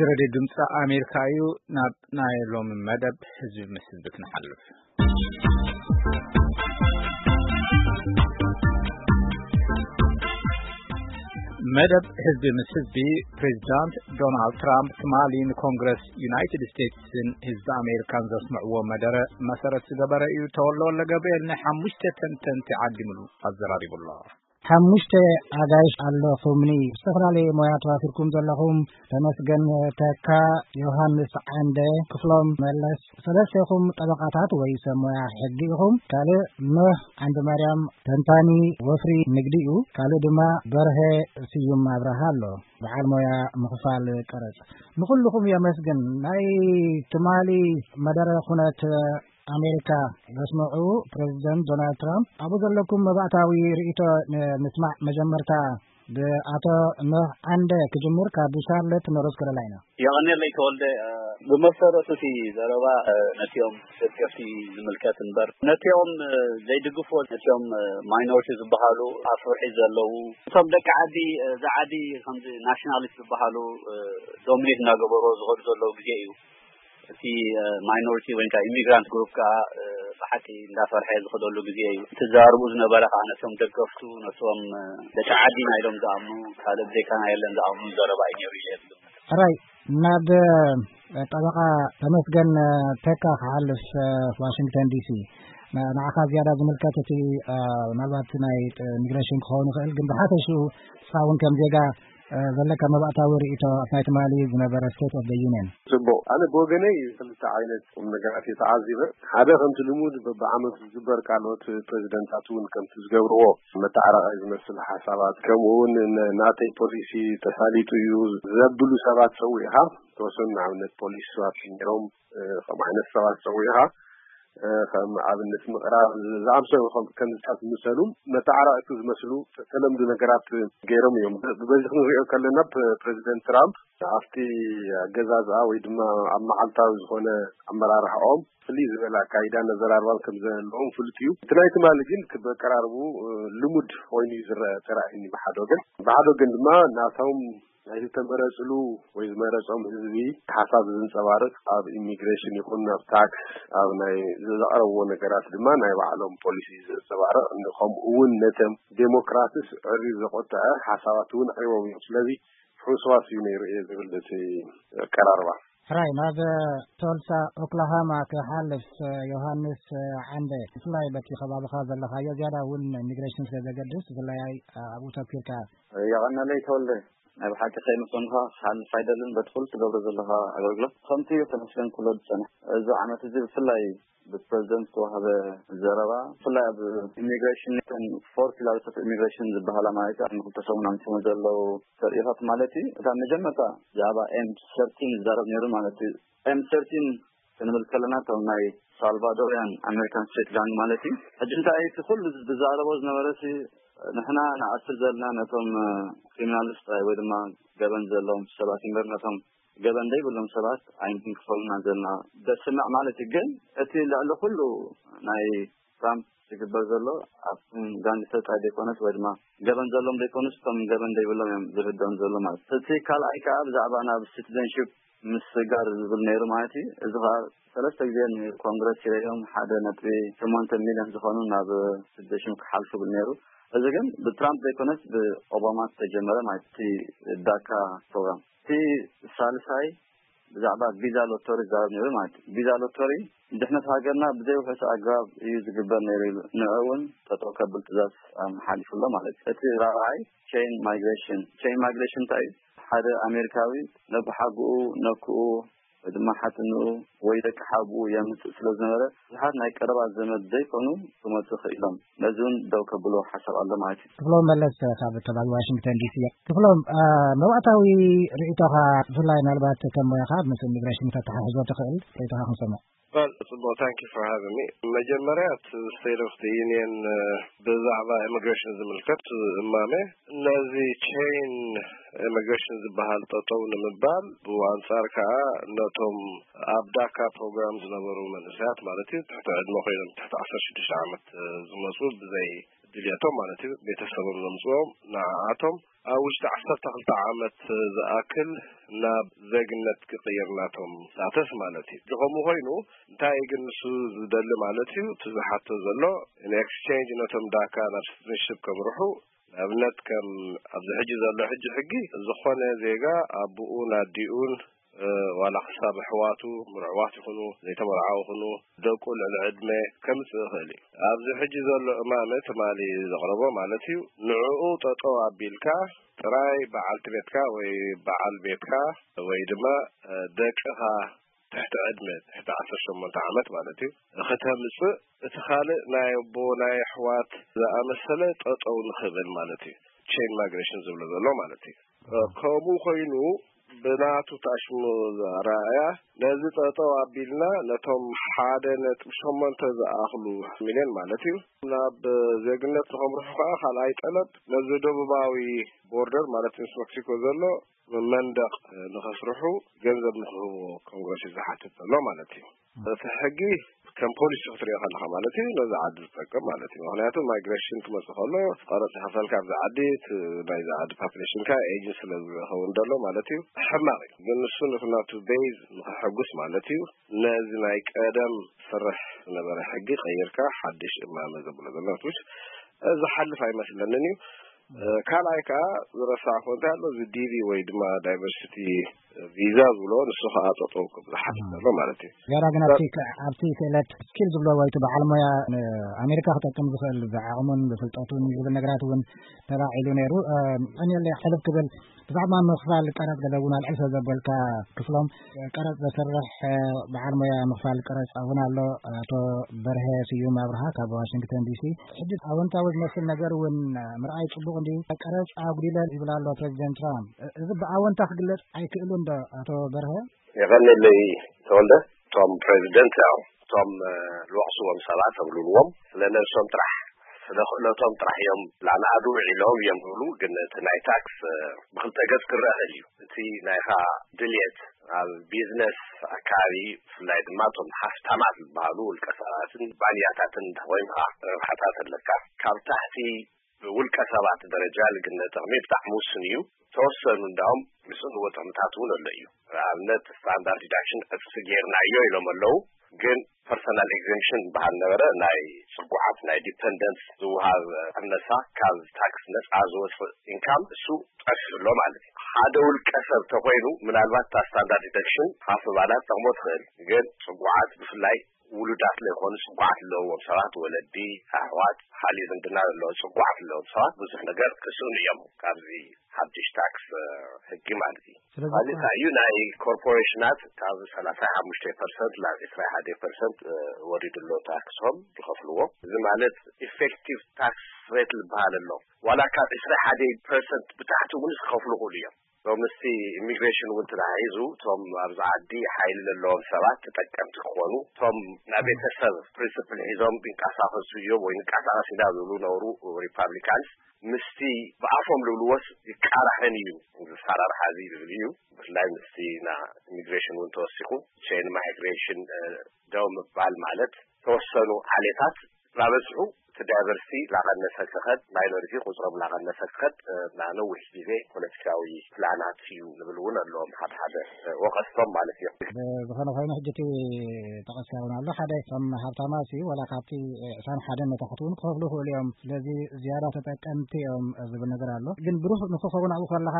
ሬድዮ ድምፂ ኣሜሪካ እዩ። ናብ ናይ ሎሚ መደብ ህዝቢ ምስ ህዝቢ ክንሓልፍ። መደብ ህዝቢ ምስ ህዝቢ፣ ፕሬዚዳንት ዶናልድ ትራምፕ ትማሊ ንኮንግረስ ዩናይትድ ስቴትስን ህዝቢ ኣሜሪካን ዘስምዕዎ መደረ መሰረት ዝገበረ እዩ። ተወልደ ወልደ ገብርኤል ንሓሙሽተ ተንተንቲ ዓዲምሉ ኣዘራሪቡ ኣሎ። ሓሙሽተ ኣጋይሽ ኣለኹምኒ። ዝተፈላለየ ሞያ ተዋፊርኩም ዘለኹም ተመስገን ተካ፣ ዮሃንስ ዓንደ፣ ክፍሎም መለስ፣ ሰለስቴኹም ጠበቃታት ወይ ሰብ ሞያ ሕጊ ኢኹም። ካልእ ኖህ ዓንደ ማርያም ተንታኒ ወፍሪ ንግዲ እዩ። ካልእ ድማ በርሀ ስዩም ኣብርሃ ኣሎ፣ በዓል ሞያ ምኽፋል ቀረጽ። ንኹልኹም የመስግን። ናይ ትማሊ መደረ ኩነት ኣሜሪካ ዘስምዑ ፕሬዚደንት ዶናልድ ትራምፕ፣ ኣብኡ ዘለኩም መባእታዊ ርእይቶ ንምስማዕ። መጀመርታ ብኣቶ ኖህ ዓንደ ክጅምር፣ ካብ ሻርለት ኖርዝ ካሮላይና። የቐኔለይ ተወልደ። ብመሰረቱ እቲ ዘረባ ነቲኦም ደገፍቲ ዝምልከት እምበር፣ ነቲኦም ዘይድግፍዎ፣ ነቲኦም ማይኖሪቲ ዝበሃሉ ኣብ ፍርሒ ዘለዉ፣ እቶም ደቂ ዓዲ፣ እዚ ዓዲ ከምዚ ናሽናሊስት ዝበሃሉ ዶሚኔት እናገበርዎ ዝኸዱ ዘለዉ ግዜ እዩ። እቲ ማይኖሪቲ ወይ ከዓ ኢሚግራንት ግሩፕ ከዓ ብሓቂ እንዳፈርሐ ዝኸደሉ ግዜ እዩ። እቲ ዘራርቡ ዝነበረ ከዓ ነቶም ደገፍቱ፣ ነቶም ደቂ ዓዲና ኢሎም ዝኣምኑ፣ ካልእ ብዘይካና የለን ዝኣምኑ ዘረባ እዩ ነይሩ ኢለ ዝግምት። ሕራይ፣ ናብ ጠበቃ ተመስገን ተካ ክሓልፍ፣ ዋሽንግተን ዲሲ። ንዓኻ ዝያዳ ዝምልከት እቲ ምናልባት ናይ ኢሚግሬሽን ክኸውን ይኽእል፣ ግን ብሓፈሽኡ ንስኻ እውን ከም ዜጋ ዘለካ መባእታዊ ርእይቶ ኣብ ናይ ትማሊ ዝነበረ ስቴት ኦፍ ዩኒየን? ጽቡቕ። ኣነ ብወገነይ ክልተ ዓይነት ቁም ነገራት እየ ተዓዚበ። ሓደ፣ ከምቲ ልሙድ በብዓመቱ ዝግበር ቃልኦት ፕሬዚደንታት እውን ከምቲ ዝገብርዎ መተዓራራይ ዝመስል ሓሳባት፣ ከምኡ እውን ን-፣ ናተይ ፖሊሲ ተሳሊጡ እዩ ዘብሉ ሰባት ጸዊዕኻ፣ ተወሰኑ ንኣብነት ፖሊሲ ሰባት ነይሮም፣ እ፣ ከምኡ ዓይነት ሰባት ጸዊዕኻ፣ እ፣ ከም ኣብነት ምቕራብ ዝኣምሰሉ ከም፣ ከምዚታት ዝመሰሉ መተዓራረቕቲ ዝመስሉ ተለምዶ ነገራት ገይሮም እዮም። ብ-፣ በዚ ክንሪኦ ከለና ፕ-፣ ፕሬዚደንት ትራምፕ ኣብቲ ኣገዛዝኣ ወይ ድማ ኣብ መዓልታዊ ዝኾነ ኣመራርሓኦም ፍልይ ዝበለ ኣካይዳ ነዘራርባም ከም ዘለዎም ፍሉጥ እዩ። እቲ ናይ ትማሊ ግን ክበቀራርቡ፣ እ፣ ልሙድ ኮይኑ እዩ ዝረአ፣ ተራእዩኒ ብሓደ ወገን። ብሓደ ወገን ድማ ናቶም ናይ ዝተመረጽሉ ወይ ዝመረጾም ህዝቢ ሓሳብ ዘንጸባርቕ፣ ኣብ ኢሚግሬሽን ይኹን ኣብ ታክስ፣ ኣብ ናይ ዘቕረብዎ ነገራት ድማ ናይ ባዕሎም ፖሊሲ ዘንጸባርቕ፣ ከምኡ እውን ነቶም ዴሞክራትስ ዕርዩ ዘቖጠዐ ሓሳባት እውን ኣቕሪቦም እዮም። ስለዚ ሕውስዋስ እዩ ነይሩ እየ ዝብል እቲ ኣቀራርባ። ሕራይ፣ ናብ ቶልሳ ኦክላሃማ ክሓልፍ፣ ዮሃንስ ዓንደ፣ ብፍላይ በቲ ከባቢኻ ዘለኻዮ ዝያዳ እውን ኢሚግሬሽን ስለ ዘገድስ፣ ብፍላይ ኣብኡ ተኪርካ። የቐነለይ ተወልደ። ናይ ብሓቂ ከይምሰንኳ ክሓልፍ ኣይደልን፣ በቲ ኩሉ ትገብሮ ዘለኻ ኣገልግሎት። ከምቲ ተመስገን ኩሎ ዝጸንሕ፣ እዚ ዓመት እዚ ብፍላይ ብፕረዚደንት ዝተዋህበ ዘረባ፣ ብፍላይ ኣብ ኢሚግሬሽን፣ እተን ፎር ፒላርስ ኦፍ ኢሚግሬሽን ዝበሃላ ማለት እዩ፣ ኣብ ክልተ ሰሙን ኣምሲሞ ዘለዉ ተርእዮታት ማለት እዩ። እታ መጀመርታ ብዛዕባ ኤም ሰርቲን ዝዛረብ ነይሩ ማለት እዩ። ኤም ሰርቲን ክንብል ከለና፣ እቶም ናይ ሳልቫዶሪያን ኣሜሪካን ስትሪት ጋንግ ማለት እዩ። ሕጂ እንታይ እቲ ኩሉ ዝዛረቦ ዝነበረ ሲ፣ ንሕና ንኣስር ዘለና ነቶም ክሪሚናልስ ጥራይ ወይ ድማ ገበን ዘለዎም ሰባት እምበር ነቶም ገበን ዘይብሎም ሰባት ኣይንክንክፈሉና ዘለና ዘስምዕ ማለት እዩ። ግን እቲ ልዕሊ ኩሉ ናይ ትራምፕ ዝግበር ዘሎ ኣብቶም ጋንግስተር ጥራይ ዘይኮነስ ወይ ድማ ገበን ዘሎም ዘይኮኑስ እቶም ገበን ዘይብሎም እዮም ዝርድኦም ዘሎ ማለት እዩ። እቲ ካልኣይ ከዓ ብዛዕባ ናብ ሲቲዘንሺፕ ምስጋር ዝብል ነይሩ ማለት እዩ። እዚ ከዓ ሰለስተ ግዜ ንኮንግረስ ይረዮም ሓደ ነጥቢ ሸሞንተ ሚልዮን ዝኾኑ ናብ ሲቲዘንሺፕ ክሓልፉ ብል ነይሩ። እዚ ግን ብትራምፕ ዘይኮነስ ብኦባማ ዝተጀመረ ማለት እቲ ዳካ ፕሮግራም። እቲ ሳልሳይ ብዛዕባ ቪዛ ሎተሪ ዝዛረብ ነይሩ ማለት እዩ። ቪዛ ሎተሪ ድሕነት ሃገርና ብዘይ ውሑስ ኣገባብ እዩ ዝግበር ነይሩ ኢሉ ንዑ እውን ጠጠው ከብል ትእዛዝ ኣመሓሊፉ ኣሎ ማለት እዩ። እቲ ራብዓይ ቼን ማይግሬሽን። ቼን ማይግሬሽን እንታይ እዩ? ሓደ ኣሜሪካዊ ነብሓጉኡ፣ ነክኡ ወይ ድማ ሓትንኡ ወይ ደቂ ሓጉኡ የምፅእ ስለ ዝነበረ ብዙሓት ናይ ቀረባ ዘመድ ዘይኮኑ ክመፁ ክኢሎም። ነዚ እውን ደው ከብሎ ሓሳብ ኣሎ ማለት እዩ። ክፍሎም መለስ ካብ ከባቢ ዋሽንግተን ዲሲ። ክፍሎም፣ አ፣ መባእታዊ ርእይቶኻ ብፍላይ ምናልባት ከም ሞያኻ ምስ ኢሚግሬሽን ከተተሓሕዞ ትኽእል ርእይቶኻ ክንሰምዕ። Well, ጽቡቕ፣ thank you for having me። መጀመርያ እቲ ስቴት ኦፍ ዩኒየን ብዛዕባ ኢሚግሬሽን ዝምልከት እማመ ነዚ ቼን ኢሚግሬሽን ዝበሃል ጠጠው ንምባል፣ ብኣንጻር ከኣ ነቶም ኣብ ዳካ ፕሮግራም ዝነበሩ መንእሰያት ማለት እዩ፣ ትሕቲ ዕድመ ኮይኖም ትሕቲ ዓሰርተ ሽዱሽተ ዓመት ዝመጹ ብዘይ ድልየቶም ማለት እዩ፣ ቤተሰቦም ዘምፅኦም ንዓኣቶም ኣብ ውሽጢ ዓሰርተ ክልተ ዓመት ዝኣክል ናብ ዜግነት ክቕይር ናቶም ናተስ ማለት እዩ። እዚ ከምኡ ኮይኑ እንታይ ግን ንሱ ዝደሊ ማለት እዩ፣ እቲ ዝሓቶ ዘሎ ንኤክስቼንጅ ነቶም ዳካ ናብ ሲቲዝንሽፕ ከምርሑ ንኣብነት ከም ኣብዚ ሕጂ ዘሎ ሕጂ ሕጊ ዝኾነ ዜጋ ኣቦኡን ኣዲኡን ዋላ ክሳብ ኣሕዋቱ ምርዕዋት ይኹኑ ዘይተመርዓው ይኹኑ ደቁ ልዕሊ ዕድመ ከምፅእ ይኽእል እዩ። ኣብዚ ሕጂ ዘሎ እማመ ትማሊ ዘቕረቦ ማለት እዩ፣ ንዕኡ ጠጠው ኣቢልካ ጥራይ በዓልቲ ቤትካ ወይ በዓል ቤትካ ወይ ድማ ደቅኻ ትሕቲ ዕድመ ትሕቲ ዓሰርተ ሸሞንተ ዓመት ማለት እዩ ክተምፅእ፣ እቲ ካልእ ናይ ኣቦ ናይ ኣሕዋት ዝኣመሰለ ጠጠው ንኽብል ማለት እዩ። ቼን ማይግሬሽን ዝብሎ ዘሎ ማለት እዩ። ከምኡ ኮይኑ ብናቱ ታሽሙ ኣረኣእያ ነዚ ጠጠው ኣቢልና ነቶም ሓደ ነጥቢ ሸሞንተ ዝኣኽሉ ሚልዮን ማለት እዩ ናብ ዜግነት ንኸምርሑ ከዓ ካልኣይ ጠለብ ነዚ ደቡባዊ ቦርደር ማለት ምስ መክሲኮ ዘሎ መንደቕ ንኸስርሑ ገንዘብ ንክህብዎ ኮንግረስ እዩ ዝሓትት ዘሎ ማለት እዩ። እቲ ሕጊ ከም ፖሊሲ ክትሪኦ ከለካ ማለት እዩ ነዚ ዓዲ ዝጠቅም ማለት እዩ። ምክንያቱ ማይግሬሽን ክመፅእ ከሎ ቀረፅ ይኸፈልካ ኣብዚ ዓዲ፣ እቲ ናይዚ ዓዲ ፓፕሌሽንካ ኤጅን ስለ ዝኸውን ዘሎ ማለት እዩ ሕማቅ እዩ። ግን ንሱ ነቲ ናቱ ቤዝ ንክሕጉስ ማለት እዩ ነዚ ናይ ቀደም ዝሰርሕ ዝነበረ ሕጊ ቀይርካ ሓድሽ እማመ ዘብሎ ዘሎ ትሽ ዝሓልፍ ኣይመስለንን እዩ። ካልኣይ ከዓ ዝረሳዕኩ እንታይ ኣሎ፣ እዚ ዲቪ ወይ ድማ ዳይቨርሲቲ ቪዛ ዝብሎ ንሱ ከዓ ጠጠው ክብል ዝሓትት ዘሎ ማለት እዩ። ገና ግን ኣብቲ ኣብቲ ክእለት ስኪል ዝብሎ ወይ እቲ በዓል ሞያ ንኣሜሪካ ክጠቅም ዝኽእል ብዓቕሙን ብፍልጠቱን ዝብል ነገራት እውን ተላዒሉ ነይሩ። ቀኒለይ ሕልፍ ክብል ብዛዕባ ምኽፋል ቀረፅ ገለ እውን ኣልዕል ስለ ዘበልካ ክፍሎም ቀረፅ ዘስርሕ በዓል ሞያ ምኽፋል ቀረፅ እውን ኣሎ። ኣቶ በርሀ ስዩም ኣብርሃ ካብ ዋሽንግተን ዲሲ። ሕጂ ኣወንታዊ ዝመስል ነገር እውን ምርኣይ ፅቡቕ እንዲ ቀረፅ ኣጉዲለ ይብል ኣሎ ፕሬዚደንት ትራምፕ። እዚ ብኣወንታ ክግለፅ ኣይክእሉን ዶ ኣቶ በርሀ? የቐንየለይ ተወልደ። እቶም ፕሬዚደንት ያው እቶም ልወቕስዎም ሰባት ተብልልዎም ስለ ነብሶም ጥራሕ ስለ ክእለቶም ጥራሕ እዮም ላንኣዱ ውዒሎም እዮም ዝብሉ። ግን እቲ ናይ ታክስ ብክልተ ገፅ ክረአ ይኽእል እዩ። እቲ ናይኻ ድልየት ኣብ ቢዝነስ ኣካባቢ ብፍላይ ድማ እቶም ሃፍታማት ዝበሃሉ ውልቀ ሰባትን ባንያታትን እንተኮይንካ ረብሓታት ኣለካ። ካብ ታሕቲ ብውልቀ ሰባት ደረጃ ልግነ ጥቕሚ ብጣዕሚ ውሱን እዩ። ተወሰኑ እንዳውም ዝስእንዎ ጥቕምታት እውን ኣሎ እዩ። ንኣብነት ስታንዳርድ ዲዳክሽን ዕፅፊ ጌርናዮ ኢሎም ኣለዉ። ግን ፐርሰናል ኤግዘምሽን ዝበሃል ነበረ፣ ናይ ፅጉዓት ናይ ዲፐንደንስ ዝወሃብ ቅነሳ ካብ ታክስ ነፃ ዝወፅእ ኢንካም እሱ ጠፊኡ ኣሎ ማለት እዩ። ሓደ ውልቀ ሰብ ተኮይኑ ምናልባት እታ ስታንዳርድ ዲዳክሽን ሃፍ ባላት ጠቕሞ ትኽእል። ግን ፅጉዓት ብፍላይ ውሉዳት ለይኮኑ ፅጉዓት ዘለዎም ሰባት ወለዲ ኣሕዋት ካልእ ዝምድና ዘለዎ ፅጉዓት ዘለዎም ሰባት ብዙሕ ነገር ክስእኑ እዮም ካብዚ ሓድሽ ታክስ ሕጊ ማለት እዩ። ስለዚ ካልእ እንታይ እዩ ናይ ኮርፖሬሽናት ካብ ሰላሳ ሓሙሽተ ፐርሰንት ናብ ዕስራ ሓደ ፐርሰንት ወሪዱ ኣሎ ታክሶም ዝኸፍልዎ። እዚ ማለት ኢፌክቲቭ ታክስ ሬት ዝበሃል ኣሎ። ዋላ ካብ ዕስራ ሓደ ፐርሰንት ብታሕቲ እውን ክኸፍሉ ይኽእሉ እዮም። ሶ ምስቲ ኢሚግሬሽን እውን ተተሓሒዙ እቶም ኣብዚ ዓዲ ሓይሊ ዘለዎም ሰባት ተጠቀምቲ ክኾኑ፣ እቶም ናይ ቤተሰብ ፕሪንስፕል ሒዞም ይንቀሳቐሱ እዮም ወይ ንንቀሳቐስ ኢና ዝብሉ ነብሩ ሪፓብሊካንስ ምስቲ ብኣፎም ዝብልዎስ ይቃራሕን እዩ እዚ ኣሰራርሓ እዚ ዝብል እዩ። ብፍላይ ምስቲ ና ኢሚግሬሽን እውን ተወሲኹ ቼን ማይግሬሽን ደው ምባል ማለት ተወሰኑ ዓሌታት እናበዝሑ እቲ ዳይቨርሲቲ ላቐነሰ ክኸድ ማይኖሪቲ ቁፅሮም ላቐነሰ ክኸድ እ፣ ና ነዊሕ ግዜ ፖለቲካዊ ፕላናት እዩ ዝብል እውን ኣለዎም ሓደ ሓደ እ፣ ወቐስቶም ማለት እዮም። ዝኾነ ኮይኑ ሕጂ እቲ ጠቐስካ እውን ኣሎ ሓደ እቶም ሃብታማት እዩ ዋላ ካብቲ ዕስራን ሓደን ንታሕቲ እውን ክኸፍሉ ይኽእሉ እዮም። ስለዚ ዝያዳ ተጠቀምቲ እዮም ዝብል ነገር ኣሎ። ግን ብሩህ ንክኸውን ኣብኡ ከለኻ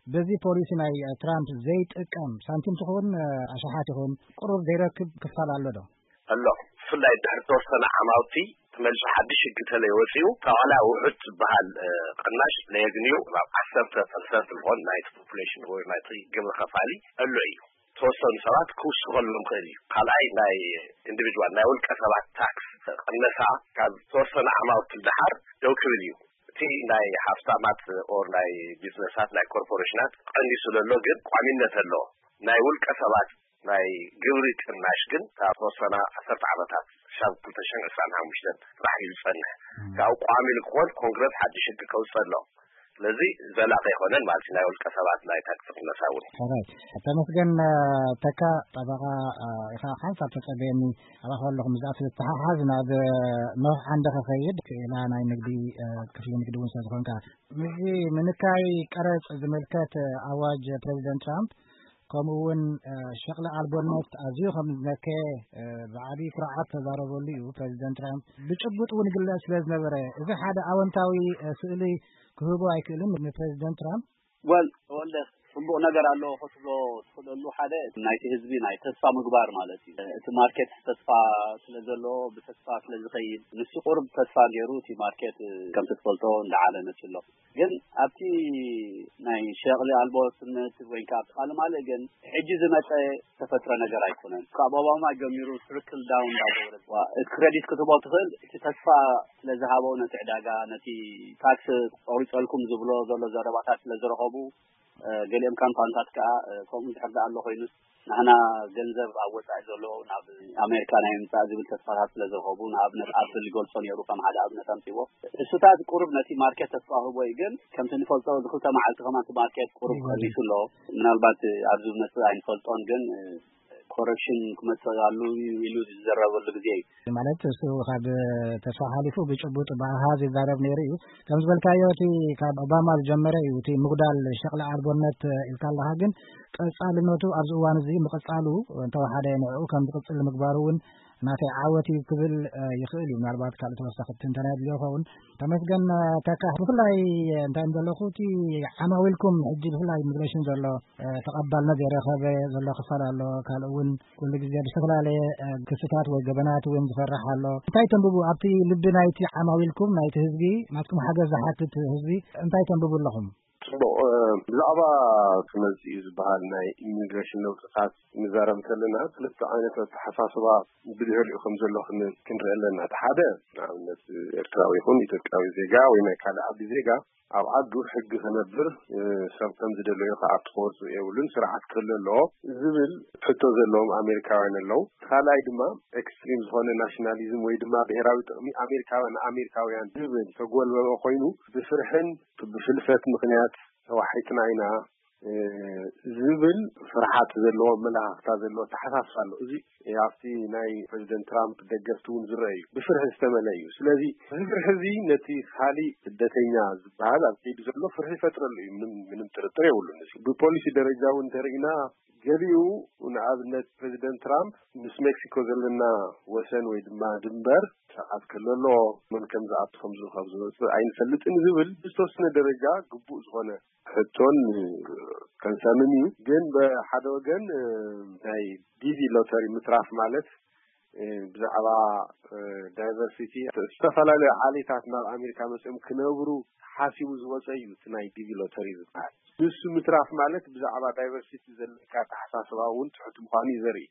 በዚ ፖሊሲ ናይ ትራምፕ ዘይጥቀም ሳንቲም ትኹን ኣሽሓት ይኹን ቁሩብ ዘይረክብ ክፋል ኣሎ ዶ? ኣሎ። ብፍላይ ድሕሪ ተወሰነ ዓማውቲ ተመልሱ ሓድሽ ህጊ ተለይ ወፂኡ ተዋላ ውሑድ ዝበሃል እ፣ ቅናሽ ለየግንዩ ናብ ዓሰርተ ፐርሰንት ዝኾን ናይቲ ፖፑሌሽን ወይ ናይቲ ግብሪ ከፋሊ ኣሎ እዩ። ተወሰኑ ሰባት ክውስኸሎም ክእል እዩ። ካልኣይ ናይ ኢንዲቪድዋል ናይ ውልቀ ሰባት ታክስ ቅነሳ ካብ ተወሰነ ዓማውቲ ደሓር ደው ክብል እዩ። እቲ ናይ ሃፍታማት ኦር ናይ ቢዝነሳት ናይ ኮርፖሬሽናት ቀኒሱ ዘሎ ግን ቋሚነት ኣለዎ። ናይ ውልቀ ሰባት ናይ ግብሪ ቅናሽ ግን ካብ ተወሰና ዓሰርተ ዓመታት ክሳብ ክልተ ሽሕን ዕስራን ሓሙሽተን ጥራሕ እዩ ዝጸንሕ። ካብ ቋሚ ንክኾን ኮንግረስ ሓድሽ ህጊ ከውፅእ ኣሎ። ስለዚ ዘላቂ ኣይኮነን ማለት እዩ። ናይ ውልቀ ሰባት ናይ ታክሲ ክነሳ እውን። ሕራይ፣ ተመስገን ተካ፣ ጠበቃ ኢኻ። ሓንሳብ ተጸበየኒ፣ ኣባኻ ኣለኹ። ምስኣ ትተሓሓዝ ናብ ኖህ ዓንደ ከኸይድ ክኢላ ናይ ንግዲ ክፍሊ ንግዲ እውን ስለዝኾንካ፣ ምስዚ ምንካይ ቀረጽ ዝምልከት ኣዋጅ ፕሬዚደንት ትራምፕ፣ ከምኡ እውን ሸቕሊ ኣልቦነት ኣዝዩ ከም ዝነከየ ብዓብዪ ኩርዓት ተዛረበሉ እዩ ፕሬዚደንት ትራምፕ። ብጭቡጥ እውን ግለጽ ስለ ዝነበረ፣ እዚ ሓደ ኣወንታዊ ስእሊ ክህቦ ኣይክእልን ንፕሬዚደንት ትራምፕ? ወል ተወልደ፣ ጽቡቕ ነገር ኣለዎ ክትብሎ ትኽእለሉ ሓደ ናይቲ ህዝቢ ናይ ተስፋ ምግባር ማለት እዩ። እቲ ማርኬት ተስፋ ስለ ዘለዎ፣ ብተስፋ ስለ ዝኸይድ፣ ንሱ ቁርብ ተስፋ ገይሩ እቲ ማርኬት ከምቲ ትፈልጦ እንዳዓለ መፅእ ኣሎ። ግን ኣብቲ ናይ ሸቕሊ ኣልቦነት ወይ ከዓ ኣብቲ ካልእ ማልእ ግን ሕጂ ዝመፀ ዝተፈጥረ ነገር ኣይኮነን። ካብ ኦባማ ጀሚሩ ትሪክል ዳውን እንዳገበረ፣ ዋ፣ እቲ ክሬዲት ክትቦ ትኽእል፣ እቲ ተስፋ ስለ ዝሃቦ ነቲ ዕዳጋ፣ ነቲ ታክስ ቆሪፀልኩም ዝብሎ ዘሎ ዘረባታት ስለ ዝረኸቡ፣ ገሊኦም ካምፓንታት ከዓ ከምኡ ዝሕርዳ ኣሎ ኮይኑስ፣ ንሕና ገንዘብ ኣብ ወፃኢ ዘሎ ናብ ኣሜሪካ ናይ ምምፃእ ዝብል ተስፋታት ስለ ዝረኸቡ፣ ንኣብነት ኣፕል ይገልጾ ነይሩ ከም ሓደ ኣብነት ኣምፅዎ። እሱታት ቁሩብ ነቲ ማርኬት ተስፋ ህቦ እዩ። ግን ከምቲ ንፈልጦ፣ እዚ ክልተ መዓልቲ ከማን እቲ ማርኬት ቁሩብ ቀኒሱ ኣሎ። ምናልባት ኣብዚ ዝመፅእ ኣይንፈልጦን፣ ግን ኮረክሽን ክመፅእ ኣሉ ኢሉ ዝዘረበሉ ግዜ እዩ። ማለት እሱ ካብ ተስፋ ሓሊፉ ብጭቡጥ ብኣሃዝ ይዛረብ ነይሩ እዩ። ከም ዝበልካዮ፣ እቲ ካብ ኦባማ ዝጀመረ እዩ እቲ ምጉዳል ሸቕሊ ኣልቦነት ኢልካ ኣለኻ። ግን ቀጻልነቱ ኣብዚ እዋን እዚ ምቕጻሉ እንተወሓደ ንዕኡ ከም ዝቕጽል ንምግባሩ እውን ናተይ ዓወት እዩ ክብል ይኽእል እዩ። ምናልባት ካልእ ተወሳኺ ትንተና የድልዮ ይኸውን። ተመስገን ተካ፣ ብፍላይ እንታይ ዘለኹ፣ እቲ ዓማዊልኩም ሕጂ ብፍላይ ኢሚግሬሽን ዘሎ ተቐባልነት ዘይረኸበ ዘሎ ክፋል ኣሎ። ካልእ እውን ኩሉ ግዜ ብዝተፈላለየ ክስታት ወይ ገበናት እውን ዝፈርሕ ኣሎ። እንታይ ተንብቡ ኣብቲ ልቢ ናይቲ ዓማዊልኩም፣ ናይቲ ህዝቢ፣ ናትኩም ሓገዝ ዝሓትት ህዝቢ እንታይ ተንብቡ ኣለኹም? ጽቡቕ። ብዛዕባ እቲ መጽኡ ዝበሃል ናይ ኢሚግሬሽን ለውጥታት ንዛረብ እንተለና፣ ክልተ ዓይነት ኣተሓሳስባ ብድሕሪኡ ከም ዘሎ ክን- ክንርኢ ኣለና። እቲ ሓደ፣ ንኣብነት፣ ኤርትራዊ ይኹን ኢትዮጵያዊ ዜጋ ወይ ናይ ካልእ ዓዲ ዜጋ ኣብ ዓዱ ሕጊ ክነብር፣ ሰብ ከም ዝደለዮ ክኣቱ ክወጽእ የብሉን፣ ስርዓት ክህሉ ኣለዎ ዝብል ሕቶ ዘለዎም ኣሜሪካውያን ኣለዉ። ካልኣይ ድማ፣ ኤክስትሪም ዝኾነ ናሽናሊዝም ወይ ድማ ብሄራዊ ጥቕሚ ኣሜሪካውያን ንኣሜሪካውያን ዝብል ተጎልበበ ኮይኑ፣ ብፍርሕን ብፍልፈት ምኽንያት ተዋሒጥና ኢና ዝብል ፍርሓት ዘለዎ ኣመለኻኽታ ዘለዎ ኣተሓሳስባ ኣሎ። እዚ ኣብቲ ናይ ፕሬዚደንት ትራምፕ ደገፍቲ እውን ዝረአ እዩ። ብፍርሒ ዝተመልአ እዩ። ስለዚ እዚ ፍርሒ እዚ ነቲ ካሊእ ስደተኛ ዝበሃል ኣብ ከይዲ ዘሎ ፍርሒ ይፈጥረሉ እዩ። ምንም ምንም ጥርጥር የብሉን። እዚ ብፖሊሲ ደረጃ እውን እንተርኢና፣ ገሊኡ፣ ንኣብነት፣ ፕሬዚደንት ትራምፕ ምስ ሜክሲኮ ዘለና ወሰን ወይ ድማ ድንበር ስርዓት ክህሉ ኣለዎ፣ መን ከም ዝኣቱ ከም ዝውከብ ዝወፅእ ኣይንፈልጥን ዝብል ብዝተወሰነ ደረጃ ግቡእ ዝኾነ ሕቶን ከንሰርንን እዩ። ግን ብሓደ ወገን፣ እ፣ ናይ ዲቪ ሎተሪ ምትራፍ ማለት፣ እ፣ ብዛዕባ፣ እ፣ ዳይቨርሲቲ፣ ዝተፈላለዩ ዓሌታት ናብ ኣሜሪካ መፅኦም ክነብሩ ሓሲቡ ዝወፀ እዩ እቲ ናይ ዲቪ ሎተሪ ዝበሃል። ንሱ ምትራፍ ማለት ብዛዕባ ዳይቨርሲቲ ዘለካ ኣተሓሳስባ እውን ትሑት ምዃኑ እዩ ዘርኢ።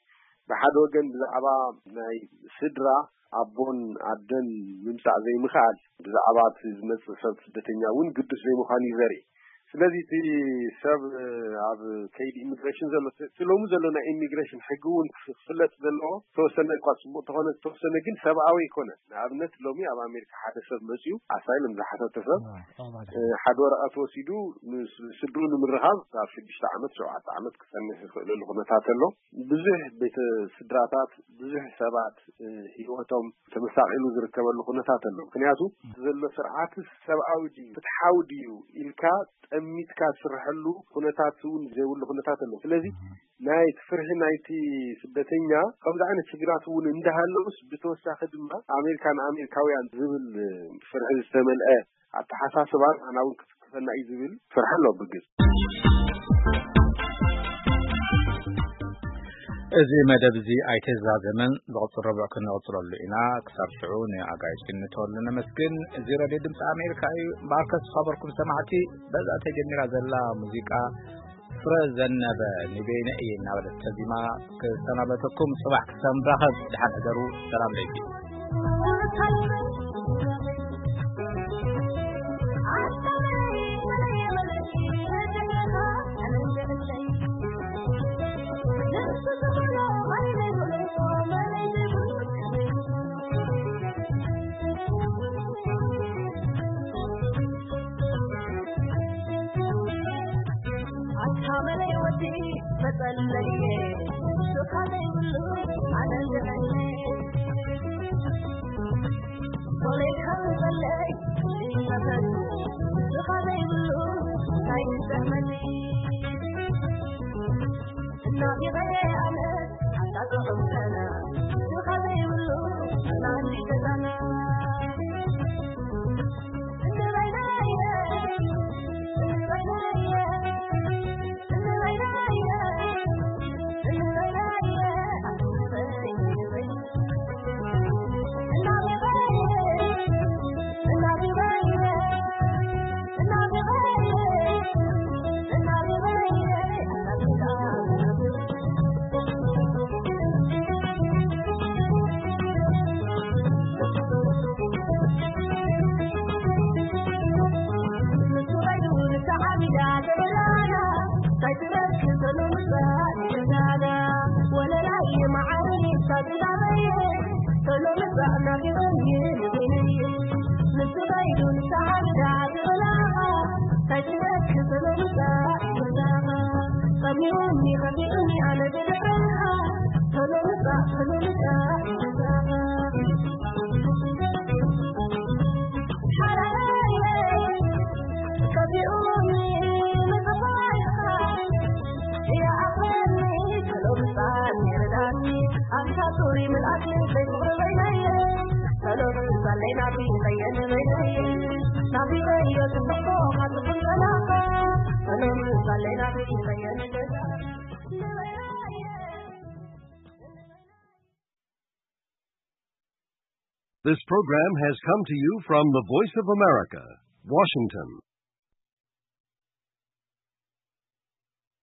ብሓደ ወገን ብዛዕባ ናይ ስድራ ኣቦን ኣደን ምምጻእ ዘይምኽኣል፣ ብዛዕባ እቲ ዝመጽእ ሰብ ስደተኛ እውን ግዱስ ዘይምዃኑ እዩ ዘርኢ። ስለዚ እቲ ሰብ ኣብ ከይዲ ኢሚግሬሽን ዘሎ፣ እቲ ሎሚ ዘሎ ናይ ኢሚግሬሽን ሕጊ እውን ክፍለጥ ዘለዎ፣ ተወሰነ እኳ ጽቡቕ ተኾነ፣ ተወሰነ ግን ሰብኣዊ ኣይኮነን። ንኣብነት ሎሚ ኣብ ኣሜሪካ ሓደ ሰብ መጺኡ ኣሳይለም ዝሓተተ ሰብ፣ እ፣ ሓደ ወረቐት ወሲዱ ምስ ስድሩ ንምርኻብ ኣብ ሽዱሽተ ዓመት፣ ሸውዓተ ዓመት ክጸንሕ ይኽእለሉ ኩነታት ኣሎ። ብዙሕ ቤተ ስድራታት፣ ብዙሕ ሰባት፣ እ፣ ህይወቶም ተመሳቒሉ ዝርከበሉ ኩነታት ኣሎ። ምክንያቱ ዘሎ ስርዓት ሰብኣዊ ድዩ፣ ፍትሓዊ ድዩ ኢልካ ጠሚትካ ዝስርሐሉ ኩነታት እውን ዘይብሉ ኩነታት ኣሎ። ስለዚ ናይ ፍርሒ ናይቲ ስደተኛ ከምዚ ዓይነት ሽግራት እውን እንዳሃለውስ፣ ብተወሳኺ ድማ ኣሜሪካ ንኣሜሪካውያን ዝብል ፍርሒ ዝተመልአ ኣተሓሳስባ ንዓና እውን ክትክፈና እዩ ዝብል ፍርሒ ኣሎ ብግልፂ። እዚ መደብ እዚ ኣይተዛዘመን፣ ዝቕፅል ረቡዕ ክንቕፅለሉ ኢና። ክሳብ ሽዑ ንኣጋይሽ ክንተወሉ ነመስግን። እዚ ሬድዮ ድምፂ ኣሜሪካ እዩ። እምበኣርከስ ዝኸበርኩም ሰማዕቲ፣ በዛ ተጀሚራ ዘላ ሙዚቃ ፍረ ዘነበ ንበይነ እየ እናበለት ተዚማ ክሰናበተኩም። ጽባሕ ክሳብ ንራኸብ፣ ደሓን ሕደሩ። ሰላም ለይኪ። መለይ ወዲ መጸለየ ሹኻ ዘይብሉ ኣደንግረኒ። ሶለይ ካብ ዘለይ ይመሰል ሹኻ ዘይብሉ እንታይ ይጠቕመኒ? እናቢቐየ ኣነ ኣጣጥዑም ሰና ሹኻ ዘይብሉ ኣናንሽ ገዛና። This program has come to you from the Voice of America, Washington.